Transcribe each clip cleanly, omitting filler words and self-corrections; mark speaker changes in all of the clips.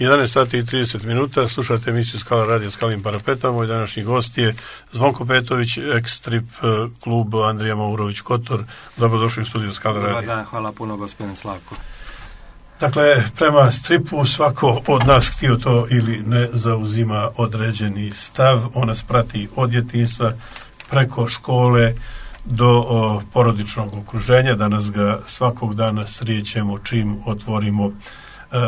Speaker 1: 11 sati i 30 minuta, slušate emisiju Skala radio Skalim parapetom. Moj današnji gost je Zvonko Petović, ex-strip klub Andrija Maurović Kotor. Dobrodošli u studiju Skala radio.
Speaker 2: Dobar dan, hvala puno gospodin Slavko.
Speaker 1: Dakle, prema stripu svako od nas, htio to ili ne, zauzima određeni stav. On nas prati od djetinjstva preko škole do porodičnog okruženja. Danas ga svakog dana srijećemo čim otvorimo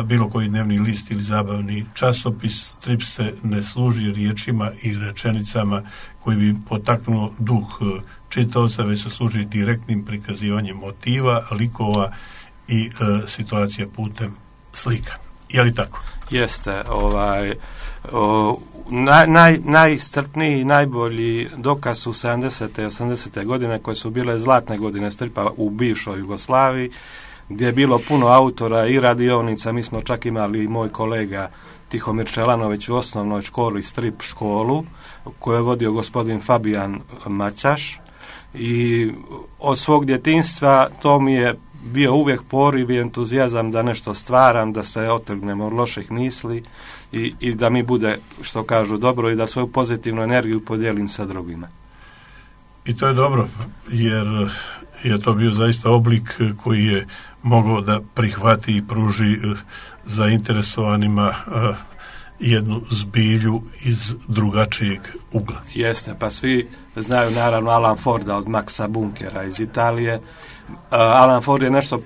Speaker 1: bilo koji dnevni list ili zabavni časopis. Strip se ne služi riječima i rečenicama koji bi potaknulo duh čitaoca, već se služi direktnim prikazivanjem motiva, likova i situacija putem slika. Je li tako?
Speaker 2: Jeste. Najstrpniji i najbolji dokaz su 70. i 80. godine koje su bile zlatne godine stripa u bivšoj Jugoslaviji, gdje je bilo puno autora i radionica. Mi smo čak imali i moj kolega Tihomir Čelanović u osnovnoj školi strip školu koju je vodio gospodin Fabijan Maćaš, i od svog djetinjstva to mi je bio uvijek poriv i entuzijazam da nešto stvaram, da se otrgnem od loših misli i da mi bude, što kažu, dobro i da svoju pozitivnu energiju podijelim sa drugima.
Speaker 1: I to je dobro, jer je to bio zaista oblik koji je mogao da prihvati i pruži zainteresovanima jednu zbilju iz drugačijeg ugla.
Speaker 2: Jeste, pa svi znaju naravno Alan Forda od Maxa Bunkera iz Italije. Alan Ford je nešto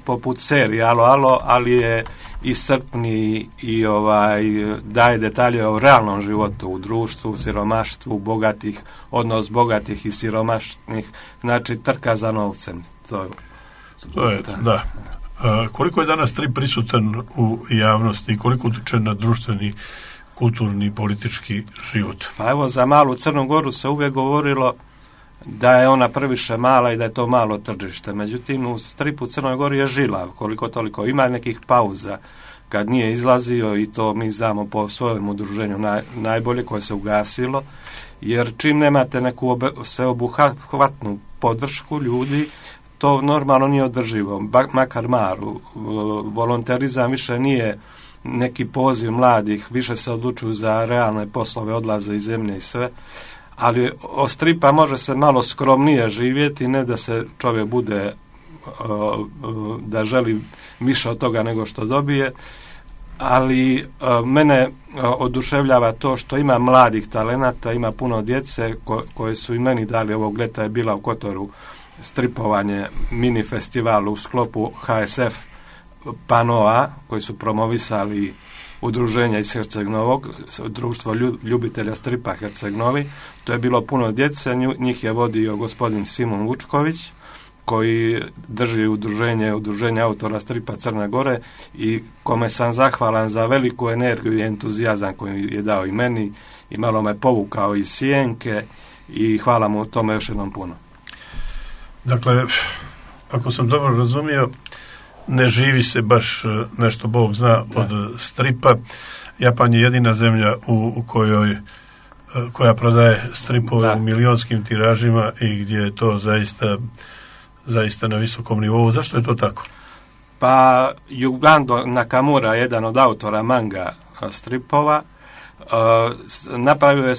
Speaker 2: poput serije Alo, ali je iscrpni i daje detalje o realnom životu u društvu, siromaštvu, bogatih, odnos bogatih i siromašnih, znači trka za novcem.
Speaker 1: To je, da. Koliko je danas strip prisutan u javnosti i koliko utiče na društveni, kulturni i politički život?
Speaker 2: Pa evo, za malu Crnu Goru se uvijek govorilo da je ona previše mala i da je to malo tržište. Međutim, u stripu Crnoj Gori je žilav, koliko toliko. Ima nekih pauza kad nije izlazio, i to mi znamo po svojem udruženju najbolje, koje se ugasilo, jer čim nemate neku sveobuhvatnu podršku ljudi, to normalno nije održivo, makar maru. Volonterizam više nije neki poziv mladih, više se odlučuju za realne poslove, odlaze iz zemlje i sve, ali od stripa može se malo skromnije živjeti, ne da se čovjek bude da želi više od toga nego što dobije, ali mene oduševljava to što ima mladih talenata, ima puno djece koje su i meni dali. Ovog ljeta je bila u Kotoru stripovanje mini festivalu u sklopu HSF Panoa, koji su promovisali udruženja iz Herceg Novog, društvo ljubitelja stripa Herceg Novi. To je bilo puno djece, njih je vodio gospodin Simon Vučković, koji drži udruženje autora stripa Crne Gore, i kome sam zahvalan za veliku energiju i entuzijazam koji je dao i meni, i malo me povukao iz sjenke, i hvala mu tome još jednom puno.
Speaker 1: Dakle, ako sam dobro razumio, ne živi se baš nešto Bog zna od stripa. Japan je jedina zemlja u koja prodaje stripove u milionskim tiražima i gdje je to zaista na visokom nivou. Zašto je to tako?
Speaker 2: Pa Yugando Nakamura, jedan od autora manga stripova, napravio je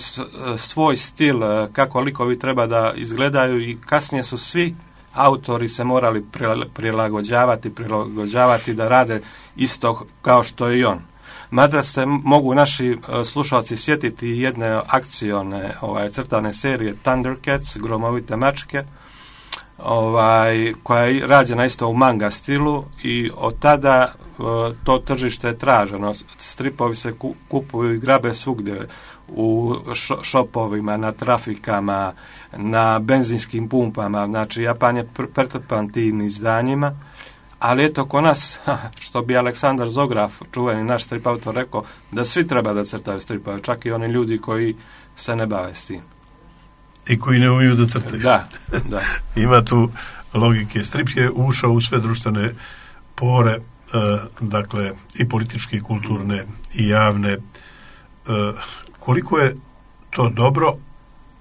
Speaker 2: svoj stil kako likovi treba da izgledaju, i kasnije su svi autori se morali prilagođavati da rade isto kao što je i on. Mada se mogu naši slušalci sjetiti jedne akcione crtane serije Thundercats, Gromovite mačke, koja je rađena isto u manga stilu, i od tada to tržište je traženo. Stripovi se kupuju i grabe svugdje, u šopovima, na trafikama, na benzinskim pumpama. Znači, Japan je pretrpan tim izdanjima, ali eto, ko nas, što bi Aleksandar Zograf, čuveni naš strip autor, rekao, da svi treba da crtaju stripove, čak i oni ljudi koji se ne bave s tim.
Speaker 1: I koji ne umiju da crtaju.
Speaker 2: Da.
Speaker 1: Ima tu logike. Strip je ušao u sve društvene pore, dakle, i političke, i kulturne, i javne. Koliko je to dobro,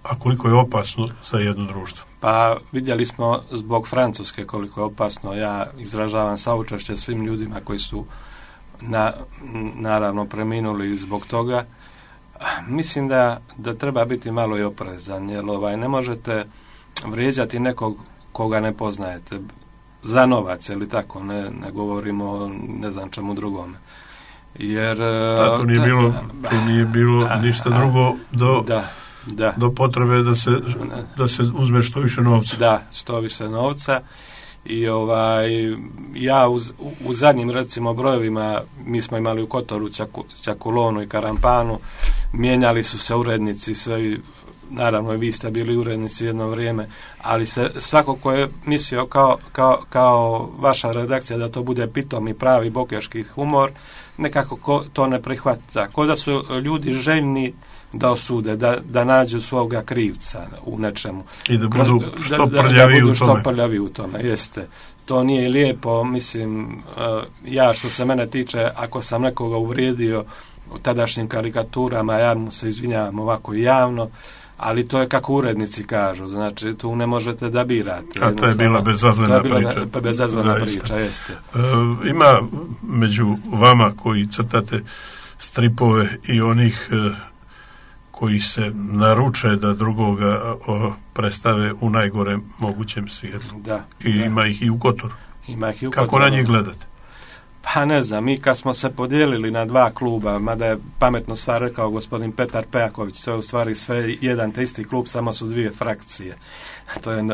Speaker 1: a koliko je opasno za jedno društvo?
Speaker 2: Pa vidjeli smo zbog Francuske koliko je opasno. Ja izražavam saučešće svim ljudima koji su naravno preminuli zbog toga. Mislim da treba biti malo i oprezan, jer ne možete vrijeđati nekog koga ne poznajete za novac, ili tako, ne govorimo ne znam čemu drugome. Jer
Speaker 1: tako nije bilo ništa drugo do potrebe da se uzme što više novca.
Speaker 2: Da, što više novca. I ja u zadnjim recimo brojevima, mi smo imali u Kotoru Čakulonu i Karampanu, mijenjali su se urednici, sve, naravno i vi ste bili urednici jedno vrijeme, ali se svako ko je mislio kao vaša redakcija da to bude pitom i pravi bokeški humor, nekako to ne prihvata. Ko da su ljudi željni da osude, da nađu svoga krivca u nečemu.
Speaker 1: I da budu što prljavi
Speaker 2: u tome. Jeste. To nije lijepo, mislim, ja što se mene tiče, ako sam nekoga uvrijedio u tadašnjim karikaturama, ja mu se izvinjavam ovako javno, ali to je kako urednici kažu, znači tu ne možete da birate.
Speaker 1: A to je bila bezazlena priča.
Speaker 2: Bezazlena priča, jeste.
Speaker 1: Ima među vama koji crtate stripove i onih koji se naruče da drugoga predstave u najgorem mogućem svijetlu. Ima ih i u Kotoru. Kako na njih gledate?
Speaker 2: Pa ne znam, mi kad smo se podijelili na dva kluba, mada je pametno stvar rekao gospodin Petar Pejaković, to je u stvari sve jedan te isti klub, samo su dvije frakcije. To je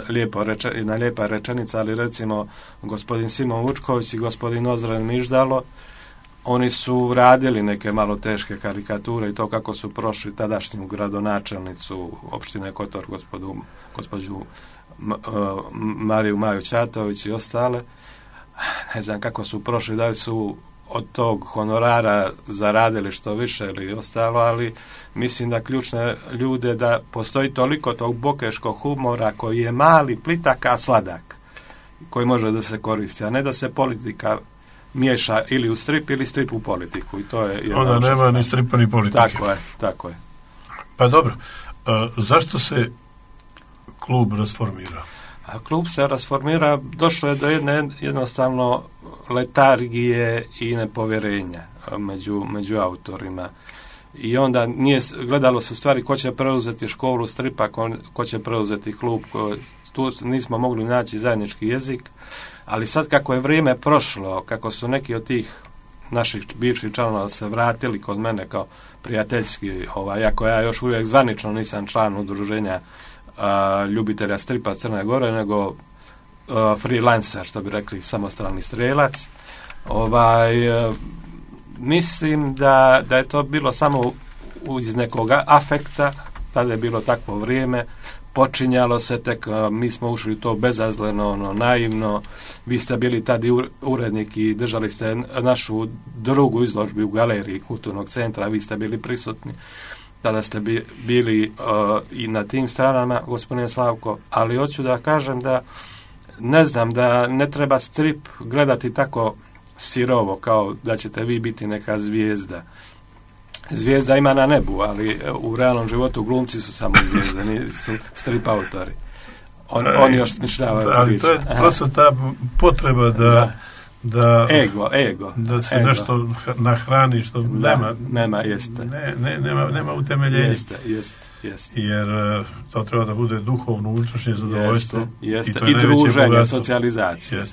Speaker 2: lijepa rečenica, ali recimo gospodin Simon Vučković i gospodin Ozren Miždalo, oni su radili neke malo teške karikature i to kako su prošli tadašnju gradonačelnicu opštine Kotor, gospođu Mariju Maju Ćatović i ostale. Ne znam kako su prošli, da li su od tog honorara zaradili što više ili ostalo, ali mislim da ključne ljude da postoji toliko tog bokeškog humora koji je mali, plitak, a sladak, koji može da se koristi, a ne da se politika miješa ili u strip ili strip u politiku. I to je
Speaker 1: onda nema ni stripa ni politike.
Speaker 2: Tako je.
Speaker 1: Pa dobro, zašto se klub rasformirao?
Speaker 2: A klub se rasformira, došlo je do jedne jednostavno letargije i nepovjerenja među autorima. I onda gledalo se u stvari ko će preuzeti školu stripa, ko će preuzeti klub, tu nismo mogli naći zajednički jezik, ali sad kako je vrijeme prošlo, kako su neki od tih naših bivših članova se vratili kod mene kao prijateljski, iako ja još uvijek zvanično nisam član udruženja ljubitelja stripa Crne Gore, nego freelancer, što bi rekli, samostalni strelac. Mislim da je to bilo samo iz nekog afekta, tada je bilo takvo vrijeme, počinjalo se tek, mi smo ušli to bezazleno, naivno, vi ste bili tada urednik i držali ste našu drugu izložbu u galeriji Kulturnog centra, vi ste bili prisutni. Tada ste bili i na tim stranama, gospodine Slavko, ali hoću da kažem da ne znam, da ne treba strip gledati tako sirovo kao da ćete vi biti neka zvijezda. Zvijezda ima na nebu, ali u realnom životu glumci su samo zvijezde, nisu strip autori. Oni još smišljavaju
Speaker 1: ali
Speaker 2: priče.
Speaker 1: To je prosto ta potreba da
Speaker 2: ego.
Speaker 1: Da se nešto nahrani što
Speaker 2: nema, jeste.
Speaker 1: Nema utemeljenja.
Speaker 2: Jeste.
Speaker 1: Jer to treba da bude duhovno unutrašnje zadovoljstvo.
Speaker 2: Jeste. I druženje, socijalizacija.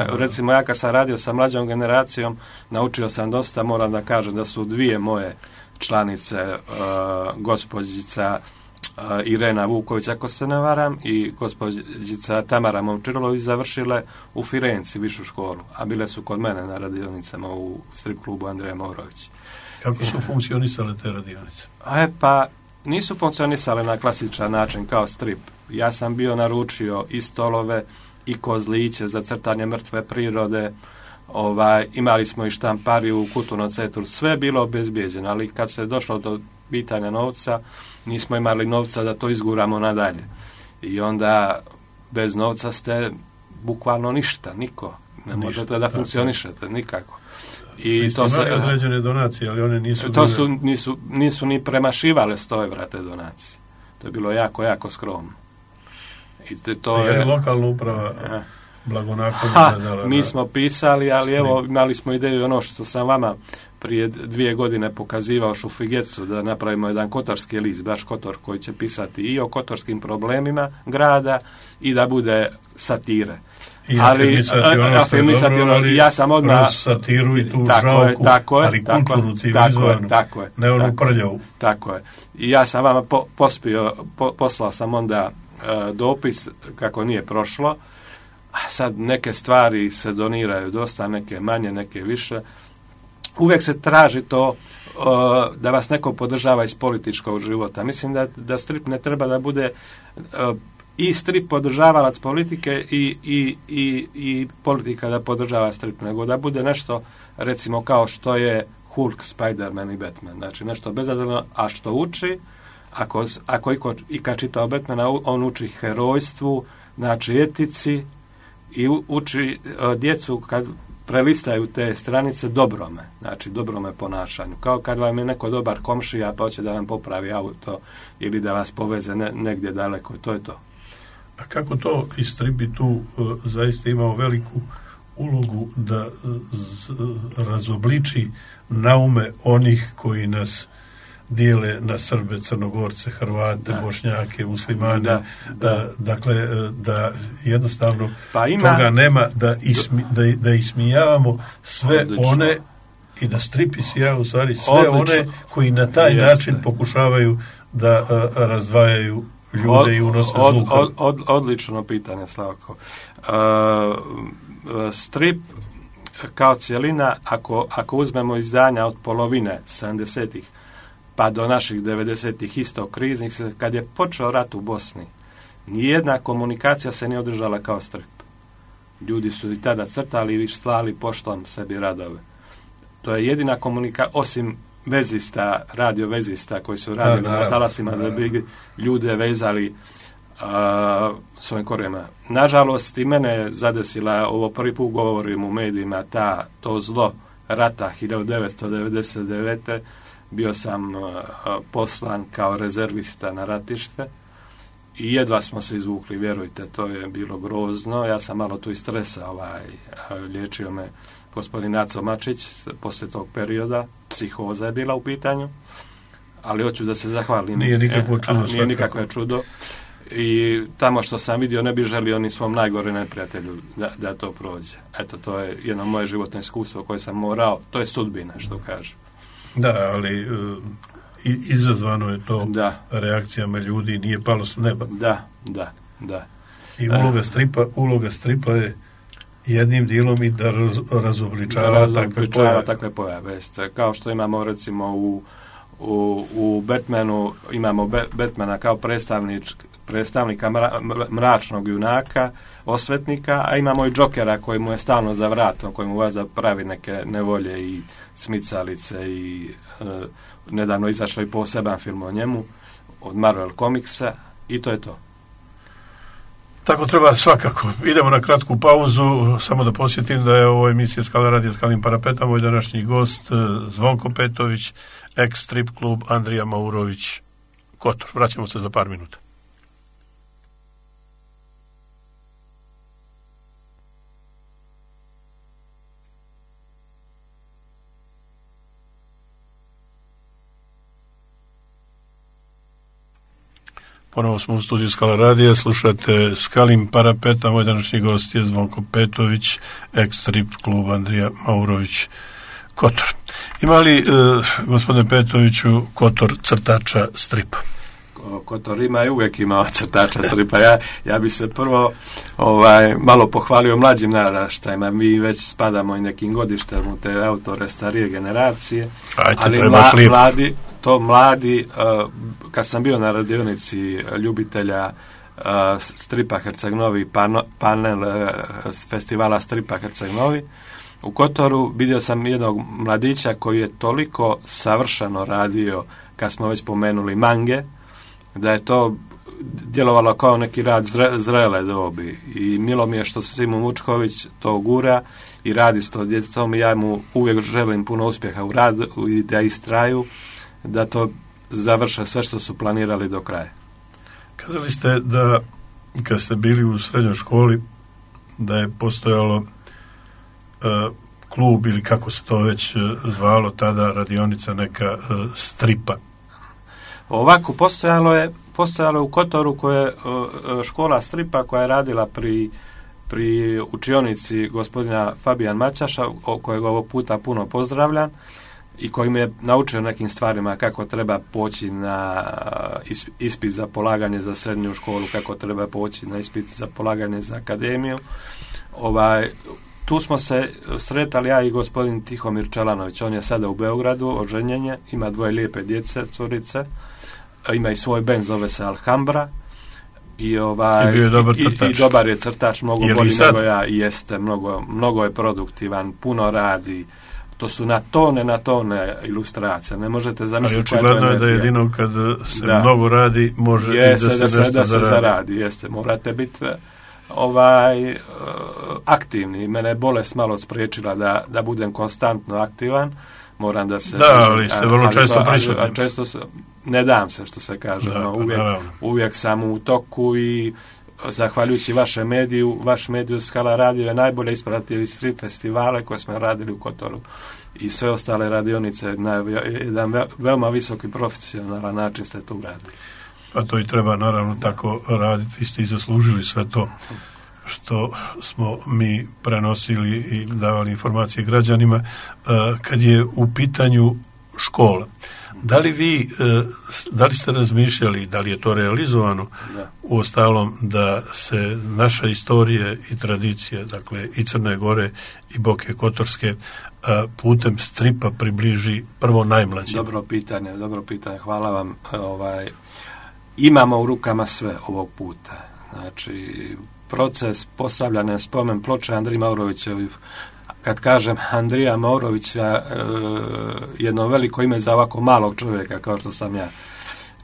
Speaker 2: Recimo ja kad sam radio sa mlađom generacijom, naučio sam dosta, moram da kažem da su dvije moje članice, gospođica Irena Vuković, ako se ne varam, i gospođica Tamara Momčilović završile u Firenci višu školu, a bile su kod mene na radionicama u strip klubu Andreja Morović.
Speaker 1: Kako su funkcionisale te radionice?
Speaker 2: Pa nisu funkcionisale na klasičan način kao strip. Ja sam bio naručio i stolove i kozliće za crtanje mrtve prirode, imali smo i štampariju u Kulturnom centru, sve je bilo obezbijeđeno, ali kad se došlo do pitanja novca, nismo imali novca da to izguramo nadalje. I onda bez novca ste bukvalno ništa, niko. Ne možete da funkcionišete nikako.
Speaker 1: I to se određene donacije, ali one
Speaker 2: nisu ni premašivale 100 evra te donacije. To je bilo jako, jako skromno. I to
Speaker 1: je lokalna uprava blagonaklono gledala.
Speaker 2: Mi smo pisali, ali evo imali smo ideju ono što sam vama prije 2 godine pokazivao Šufigecu, da napravimo jedan kotorski list, baš Kotor, koji će pisati i o kotorskim problemima grada i da bude satire.
Speaker 1: I afirmisati ono, ali ja sam odmah satiru i tu žalku, ali kulturnu, civilizovanu, ne onu prljavu.
Speaker 2: Tako je. I ja sam vama poslao sam onda dopis kako nije prošlo, a sad neke stvari se doniraju dosta, neke manje, neke više. Uvijek se traži to da vas neko podržava iz političkog života. Mislim da strip ne treba da bude i strip podržavalac politike i politika da podržava strip, nego da bude nešto, recimo, kao što je Hulk, Spider-Man i Batman. Znači, nešto bezazleno, a što uči, ako ikad čitao Batmana, on uči herojstvu, znači etici, i uči djecu kad prelistaju te stranice dobrome, znači dobrome ponašanju. Kao kad vam je neko dobar komšija pa hoće da vam popravi auto ili da vas poveze negdje daleko, to je to.
Speaker 1: A kako to istribi tu zaista imao veliku ulogu da razobliči naume onih koji nas dijele na Srbe, Crnogorce, Hrvate, Bošnjake, Muslimane, dakle da jednostavno toga nema, da ismijavamo sve one i da strip ismijava u stvari sve one koji na taj način pokušavaju da razdvajaju ljude i unose zlu.
Speaker 2: Odlično pitanje, Slavko. Strip kao cijelina, ako uzmemo izdanja od polovine 70-ih pa do naših 90-ih isto kriznih, kad je počeo rat u Bosni, nijedna komunikacija se nije održala kao strip. Ljudi su i tada crtali i slali poštom sebi radove. To je jedina komunikacija, osim vezista, radio vezista koji su radili na talasima da bi ljude vezali svojim korijema. Nažalost, i mene je zadesila, ovo prvi put govorim u medijima, to zlo rata 1999. Bio sam poslan kao rezervista na ratište i jedva smo se izvukli, vjerujte, to je bilo grozno. Ja sam malo tu i stresa, liječio me gospodin Aco Mačić poslije tog perioda, psihoza je bila u pitanju, ali hoću da se zahvalim.
Speaker 1: Nije nikakvo
Speaker 2: čudo. I tamo što sam vidio ne bi želio ni svom najgore neprijatelju da to prođe. Eto, to je jedno moje životno iskustvo koje sam morao, to je sudbina, što kažu.
Speaker 1: Da, ali izazvano je to reakcijama ljudi, nije palo s neba.
Speaker 2: Da.
Speaker 1: I uloga stripa je jednim dijelom i da razobličava
Speaker 2: takve pojave. Kao što imamo recimo u Batmanu, imamo Batmana kao predstavnika mračnog junaka, osvetnika, a imamo i Jokera koji mu je stalno za vratom, koji mu vaza pravi neke nevolje i smicalice i nedavno izašao i poseban film o njemu od Marvel Comicsa i to je to.
Speaker 1: Tako treba svakako. Idemo na kratku pauzu, samo da podsjetim da je ovo emisija Skala radija Skalim Parapetom, moj današnji gost Zvonko Petović, ex-strip klub Andrija Maurović, Kotor. Vraćamo se za par minuta. Ponovo smo u studiju Skala radija, slušate Skalim Parapeta, moj današnji gost je Zvonko Petović, ex-strip klub Andrija Maurović, Kotor. Ima li, gospodine Petoviću, Kotor crtača stripa?
Speaker 2: Kotor ima i uvijek imao crtača stripa. Ja bi se prvo malo pohvalio mlađim naraštajima. Mi već spadamo i nekim godištem u te autore starije generacije. Ali mladi, kad sam bio na radionici ljubitelja stripa Herceg Novi, panel festivala stripa Herceg Novi, u Kotoru vidio sam jednog mladića koji je toliko savršeno radio, kad smo već pomenuli mange, da je to djelovalo kao neki rad zrele dobi. I milo mi je što Simo Mučković to gura i radi s to djecom i ja mu uvijek želim puno uspjeha u radu i da istraju, da to završe sve što su planirali do kraja.
Speaker 1: Kazali ste da kad ste bili u srednjoj školi da je postojalo klub ili kako se to već zvalo tada, radionica neka stripa.
Speaker 2: Ovako, postojalo je u Kotoru škola stripa koja je radila pri učionici gospodina Fabijan Maćaša, kojeg ovog puta puno pozdravljam i koji me je naučio nekim stvarima kako treba poći na ispit za polaganje za srednju školu, kako treba poći na ispit za polaganje za akademiju. Tu smo se sretali ja i gospodin Tihomir Čelanović, on je sada u Beogradu, oženjen je, ima 2 lijepe djece, curice, ima i svoj bend, zove se Alhambra. I
Speaker 1: bio je dobar crtač.
Speaker 2: I dobar je crtač, mnogo bolji nego ja, i jeste, mnogo je produktivan, puno radi. To su na tone ilustracija, ne možete zamisliti.
Speaker 1: Ali očigledno je da jedino kad se mnogo radi može
Speaker 2: da se zaradi. Jeste, morate biti aktivni. Mene je bolest malo spriječila da budem konstantno aktivan. Moram da se...
Speaker 1: Da, ali ste vrlo često prisutni.
Speaker 2: Često ne dam se, što se kaže. Uvijek sam u toku i zahvaljujući vašem mediju, vaš mediju Skala radio je najbolje ispratio iz 3 festivale koje smo radili u Kotoru i sve ostale radionice na jedan veoma visoki profesionalan način ste to uradili.
Speaker 1: Pa to i treba naravno tako raditi. Vi ste i zaslužili sve to što smo mi prenosili i davali informacije građanima. Kad je u pitanju škola, da li ste razmišljali, da li je to realizovano u ostalom, da se naša istorija i tradicija, dakle i Crne Gore i Boke Kotorske, putem stripa približi prvo najmlađim?
Speaker 2: Dobro pitanje, hvala vam. Imamo u rukama sve ovog puta. Znači, proces postavljanja spomen ploče Andriji Maurovićevi. Kad kažem Andrija Maurovića, jedno veliko ime za ovako malog čovjeka kao što sam ja.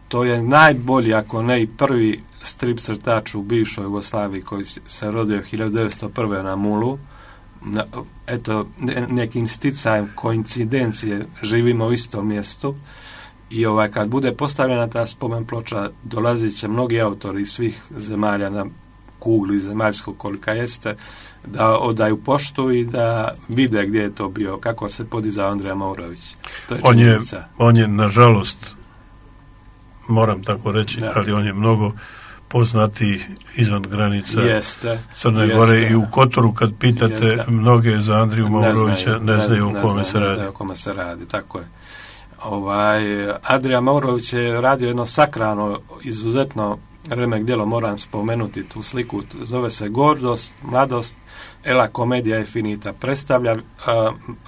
Speaker 2: To je najbolji, ako ne i prvi strip crtač u bivšoj Jugoslaviji koji se rodio 1901. na Mulu. Eto, nekim sticajem koincidencije živimo u istom mjestu i kad bude postavljena ta spomen ploča, dolazit će mnogi autori iz svih zemalja na kugli zemaljskog kolika jeste, da odaju poštu i da vide gdje je to bio, kako se podizao Andrija Maurović. To je činjenica.
Speaker 1: On je, nažalost, moram tako reći, ali on je mnogo poznati izvan granica Crne Gore i u Kotoru. Kad pitate mnoge za Andriju Maurovića, ne znaju o kome se radi.
Speaker 2: Tako je. Andrija Maurović je radio jedno sakrano, izuzetno remek djelo, moram spomenuti tu sliku, zove se Gordost, mladost, Ela komedija je finita, predstavlja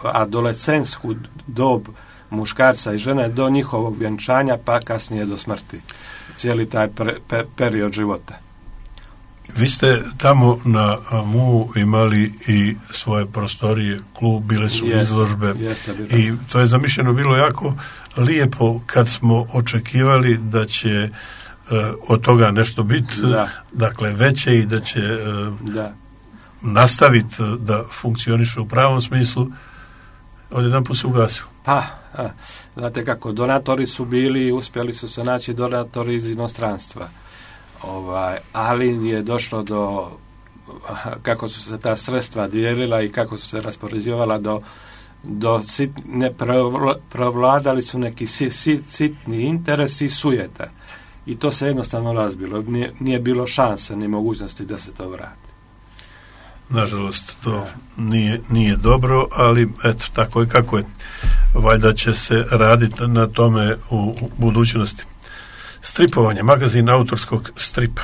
Speaker 2: adolescentsku dob muškarca i žene do njihovog vjenčanja, pa kasnije do smrti. Cijeli taj period života.
Speaker 1: Vi ste tamo na MU imali i svoje prostorije, klub, bile su izložbe i to je zamišljeno bilo jako lijepo kad smo očekivali da će od toga nešto biti, dakle veće i da će nastaviti da funkcioniše u pravom smislu. Odjedanput se ugasilo.
Speaker 2: Znate kako, donatori su bili, uspjeli su se naći donatori iz inostranstva. Ali je došlo do, kako su se ta sredstva dijelila i kako su se raspoređivala do provladali su neki sitni interesi i sujeta. I to se jednostavno razbilo. Nije bilo šanse ni mogućnosti da se to vrati.
Speaker 1: Nažalost, to nije dobro, ali eto, tako je kako je. Valjda će se raditi na tome u budućnosti. Stripovanje, magazin autorskog stripa.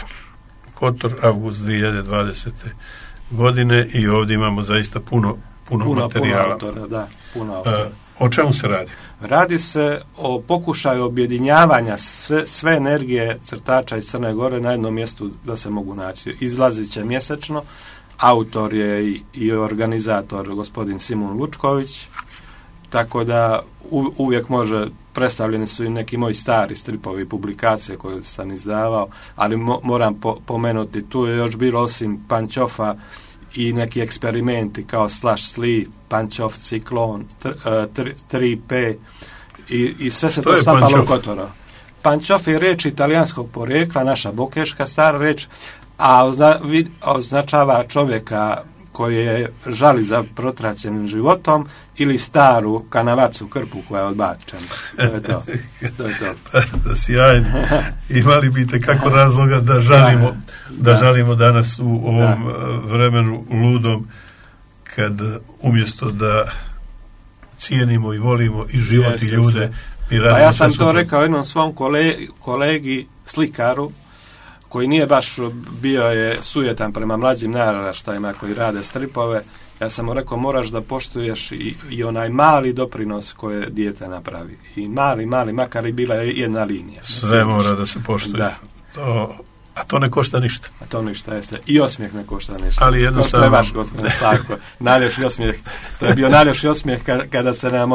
Speaker 1: Kotor, avgust 2020. godine i ovdje imamo zaista puno materijala.
Speaker 2: Puno autora.
Speaker 1: O čemu se radi?
Speaker 2: Radi se o pokušaju objedinjavanja sve energije crtača iz Crne Gore na jednom mjestu da se mogu naći. Izlazit će mjesečno. Autor je i organizator gospodin Simon Lučković, tako da uvijek predstavljeni su i neki moji stari stripovi, publikacije koje sam izdavao, ali moram pomenuti, tu je još bilo osim Pančofa i neki eksperimenti kao Slash Sli, Pančov, Ciklon, 3P i sve se to štampalo u Kotoru. Pančov je riječ italijanskog porijekla, naša bokeška stara riječ, a označava čovjeka koji žali za protraćenim životom ili staru kanavacu krpu koja je odbačena. To je to.
Speaker 1: Da, sjajno. Imali bi kako razloga da žalimo danas u ovom vremenu ludom, kad umjesto da cijenimo i volimo i život i ljude.
Speaker 2: Pa ja sam to rekao jednom svom kolegi slikaru, koji nije baš bio je sujetan prema mlađim naraštajima koji rade stripove. Ja sam mu rekao, moraš da poštuješ i onaj mali doprinos koje dijete napravi. I mali, makar i bila je jedna linija.
Speaker 1: Sve mora da se poštuje.
Speaker 2: Da.
Speaker 1: A to ne košta ništa.
Speaker 2: A to ništa, jeste. I osmijeh ne košta ništa.
Speaker 1: Ali jednostavno...
Speaker 2: To je vaš, gospodin Slavko. Najljepši osmijeh. To je bio najljepši osmijeh kada se nam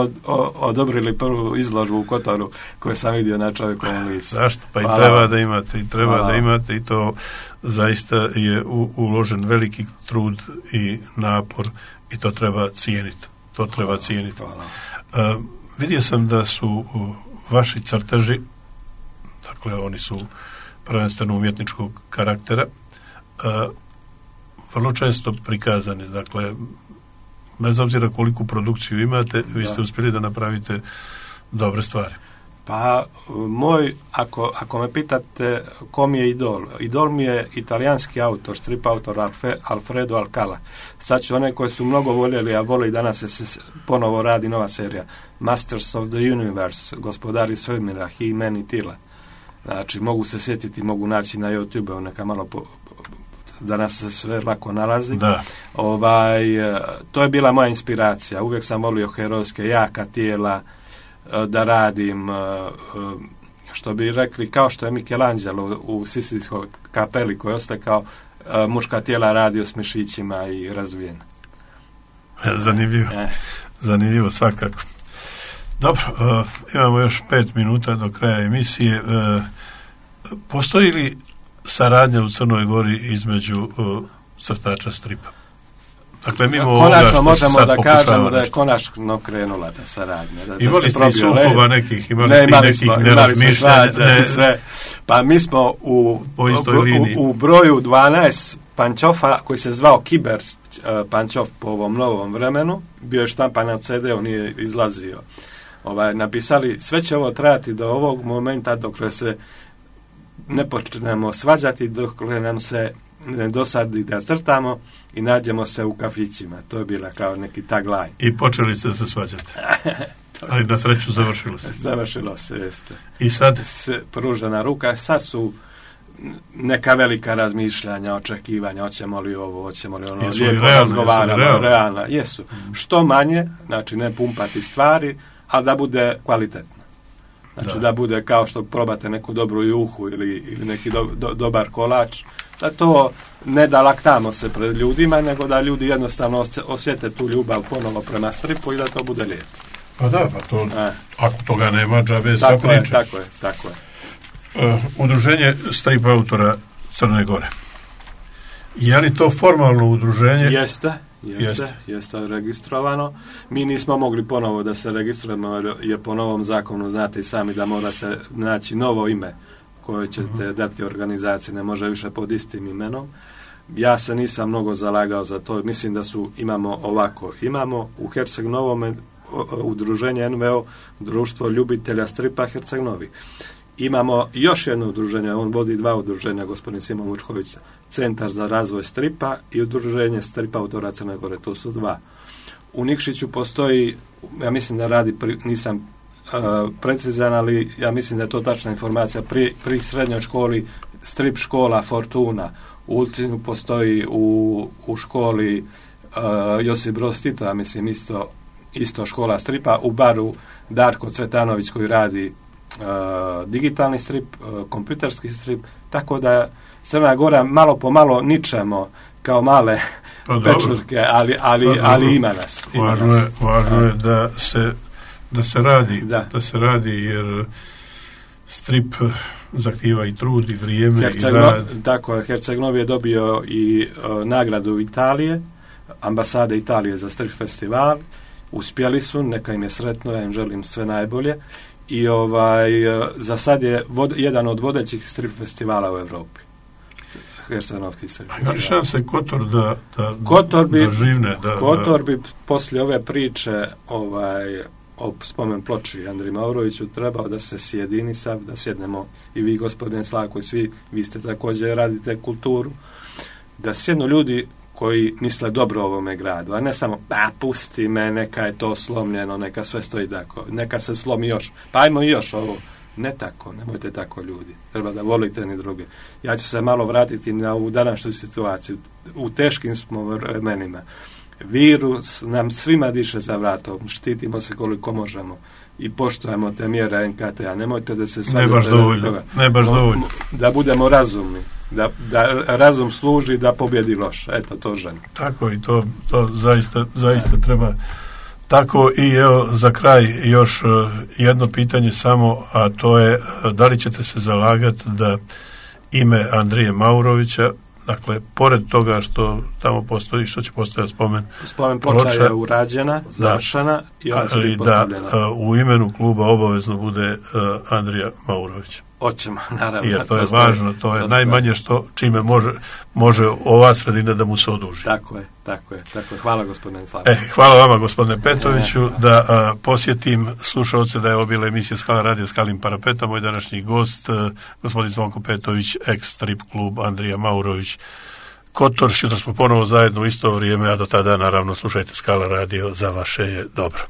Speaker 2: odobrili prvu izložbu u Kotoru koju sam vidio na čovjekovom licu.
Speaker 1: Zašto? Pa i treba da imate i to zaista je uložen veliki trud i napor i to treba cijeniti. Vidio sam da su vaši crteži, dakle oni su prvenstveno umjetničkog karaktera, vrlo često prikazani. Dakle, bez obzira koliku produkciju imate, vi ste uspjeli da napravite dobre stvari.
Speaker 2: Pa, ako me pitate ko mi je idol, idol mi je italijanski autor, strip autor Alfredo Alcala. Sad ću one koje su mnogo voljeli, a vole i danas se ponovo radi nova serija. Masters of the Universe, gospodari svemira, He-Man i Tila. Znači, mogu se sjetiti, mogu naći na YouTube, neka malo danas se sve lako nalazi.
Speaker 1: Da.
Speaker 2: To je bila moja inspiracija. Uvijek sam volio herojske jaka tijela, da radim, što bi rekli, kao što je Michelangelo u Sistinskoj kapeli koji ostaje kao muška tijela radio s mišićima i razvijena.
Speaker 1: Zanimljivo svakako. Dobro, imamo još 5 minuta do kraja emisije. Postoji li saradnja u Crnoj Gori između crtača stripa? Dakle,
Speaker 2: konačno možemo da kažemo da je konačno krenula ta saradnja.
Speaker 1: Imali ste i sukova nekih,
Speaker 2: imali smo svađa, sve. Pa mi smo u broju 12 Pančofa, koji se zvao Kiber Pančov po ovom novom vremenu, bio je štampan na CD-u, nije izlazio. Napisali, sve će ovo trajati do ovog momenta dok se ne počnemo svađati, dok nam se ne dosadi da crtamo i nađemo se u kafićima. To je bila kao neki tagline.
Speaker 1: I počeli ste se svađati. Ali na sreću završilo se.
Speaker 2: Završilo se, jeste.
Speaker 1: I sad?
Speaker 2: Pružena ruka. Sad su neka velika razmišljanja, očekivanja, hoćemo li ovo, hoćemo li ono,
Speaker 1: jesu
Speaker 2: lijepo razgovaramo, realna. Jesu. Što manje, znači ne pumpati stvari, ali da bude kvalitetno. Znači da bude kao što probate neku dobru juhu ili neki dobar kolač, da to ne da laktamo se pred ljudima, nego da ljudi jednostavno osjete tu ljubav ponovo prema stripu i da to bude lijepo.
Speaker 1: Pa da, pa to, ako toga nema, džabe sva priča.
Speaker 2: Tako je.
Speaker 1: Udruženje strip autora Crne Gore. Je li to formalno udruženje?
Speaker 2: Jeste registrovano. Mi nismo mogli ponovo da se registrujemo jer po novom zakonu znate i sami da mora se naći novo ime koje ćete dati organizaciji, ne može više pod istim imenom. Ja se nisam mnogo zalagao za to. Mislim da imamo u Herceg Novome udruženje NVO, Društvo ljubitelja stripa Herceg Novi. Imamo još jedno udruženje, on vodi 2 udruženja, gospodin Simon Vučković, Centar za razvoj stripa i udruženje stripa autora Crne Gore, to su 2. U Nikšiću postoji, ja mislim da radi, nisam precizan, ali ja mislim da je to tačna informacija, pri srednjoj školi strip škola Fortuna, u Ulcinu postoji u školi Josip Broz Tito, ja mislim isto škola stripa, u baru Darko Cvetanović koji radi digitalni strip, kompjuterski strip, tako da Crna Gora malo po malo ničemo kao male pečurke, ali ima nas.
Speaker 1: Važno je da se radi jer strip zahtijeva i trud i vrijeme i rad.
Speaker 2: Tako je, Herceg Novi je dobio i nagradu Italije, ambasade Italije za strip festival. Uspjeli su, neka im je sretno, ja im želim sve najbolje. I za sad je jedan od vodećih strip festivala u Europi. hercegovačkih strip.
Speaker 1: Ima šanse Kotor da živne.
Speaker 2: Kotor bi poslije ove priče o spomen ploči Andriji Mauroviću trebao da se sjedini sad, da sjednemo i vi, gospodin Slavko, i svi, vi ste također radite kulturu, da sjednu ljudi koji misle dobro ovome gradu, a ne samo, pusti me, neka je to slomljeno, neka sve stoji tako, neka se slomi još, pa ajmo još ovo. Ne tako, nemojte tako ljudi. Treba da volite ni druge. Ja ću se malo vratiti na ovu današnju situaciju. U teškim smo vremenima. Virus nam svima diše za vratom. Štitimo se koliko možemo i poštujemo te mjere NKT-a. Nemojte da se svađate toga.
Speaker 1: Ne baš dovoljno.
Speaker 2: Da budemo razumni. Da razum služi da pobjedi loš. Eto, to želim.
Speaker 1: Tako i to zaista treba. Tako i evo za kraj još jedno pitanje samo, a to je da li ćete se zalagati da ime Andrije Maurovića, dakle, pored toga što tamo postoji, što će postojati spomen
Speaker 2: ploča je urađena, završena i ona će biti postavljena.
Speaker 1: Da u imenu kluba obavezno bude Andrija Maurović.
Speaker 2: Hoćemo, naravno.
Speaker 1: Jer to je važno, to je najmanje čime može ova sredina da mu se oduži.
Speaker 2: Tako je. Hvala gospodine Slavko.
Speaker 1: Hvala vama gospodine Petoviću, da posjetim slušalce da je ovo bila emisija Skala radio Skalim Parapeta, moj današnji gost, gospodin Zvonko Petović, ex-strip klub Andrija Maurović, Kotor. Jutro smo ponovo zajedno u isto vrijeme, a do tada naravno slušajte Skala radio, za vaše je dobro.